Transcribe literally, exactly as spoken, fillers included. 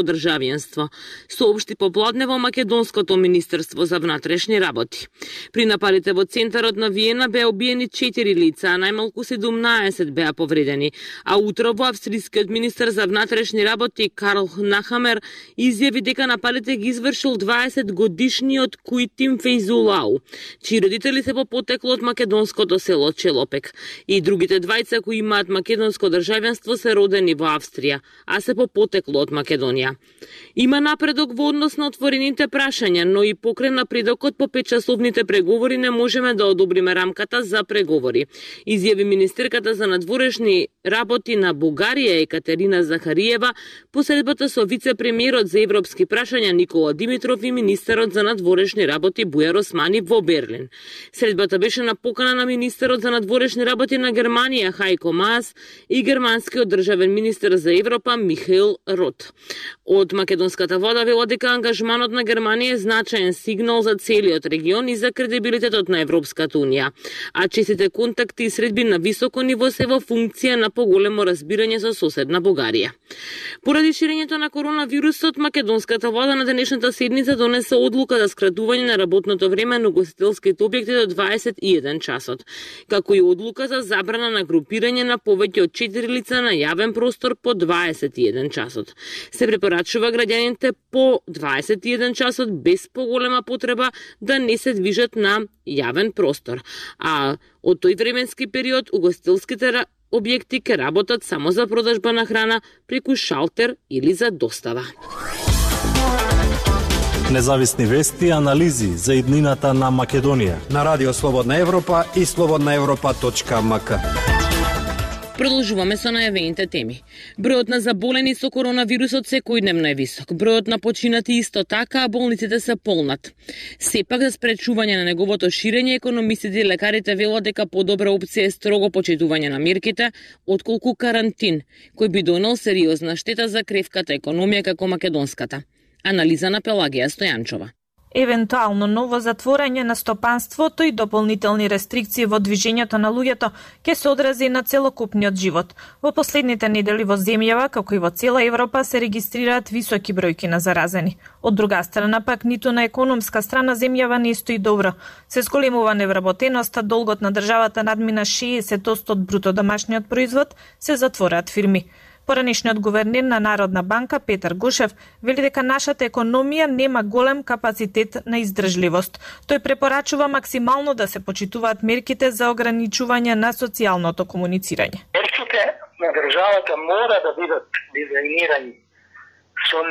државјанство, соопшти попладне во македонското Министерство за внатрешни работи. При нападите во центарот на Виена беа убиени четири лица, а најмалку седумнаесет беа повредени, а утро во австрискиот министер за внатрешни работи Карл Нахамер изјави дека нападите ги извршил дваесет годишниот Куитим Фейзулау, чии родители се по потекло од македонското село Челопек, и другите двајца кои имаат македонско државјанство се родени во Австрија, а се по потекло од Македонија. Има напредок во однос на отворените прашања, но и покрај напредокот по петчасовните преговори не можеме да одобриме рамката за преговори, изјави министерката за надворешни работи на Бугарија Екатерина Захариева по средбата со вице-премиерот за европски прашања Никола Димитров и министерот за надворешни работи Бујар Османи во Берлин. Средбата беше на покана на министерот за надворешни работи на Германија Хајко Маас и германскиот државен министер за Европа Михаил Рот. Од македонската влада велат дека ангажманот на Германија е значаен сигнал за целиот регион и за кредибилитетот на Европската унија, а честите контакти и средби на високо ниво се во функција на поголемо разбирање со соседна Бугарија. Поради ширењето на коронавирусот, македонската влада на денешната седница донесе одлука за скратување на работното време на угостителските објекти до дваесет и еден часот, како и одлука за забрана на групирање на повеќе од четири лица на јавен простор по дваесет и еден часот. Се препорачува граѓаните по дваесет и еден часот без поголема потреба да не се движат на јавен простор, а од тој временски период угостителските објекти ќе работат само за продажба на храна преку шалтер или за достава. Независни вести и анализи за иднината на Македонија на Радио Слободна Европа и слободна европа точка ем ка. Продолжуваме со најавените теми. Бројот на заболени со коронавирусот секојдневно е висок. Бројот на починати исто така, а болниците се полнат. Сепак за спречување на неговото ширење, економистите и лекарите велат дека подобра опција е строго почитување на мерките, отколку карантин, кој би донел сериозна штета за кревката економија како македонската. Анализа на Пелагија Стојанчова. Евентуално ново затворање на стопанството и дополнителни рестрикции во движењето на луѓето ќе се одрази на целокупниот живот. Во последните недели во земјава, како и во цела Европа, се регистрираат високи бројки на заразени. Од друга страна пак, ниту на економска страна земјава не стои добро. Се зголемува невработеноста, долгот на државата надмина шеесет одсто од бруто домашниот производ, се затвораат фирми. Поранешниот гувернер на Народна банка Петар Гушев вели дека нашата економија нема голем капацитет на издржливост. Тој препорачува максимално да се почитуваат мерките за ограничување на социјалното комуницирање. Мерките на државата мора да бидат дизајнирани со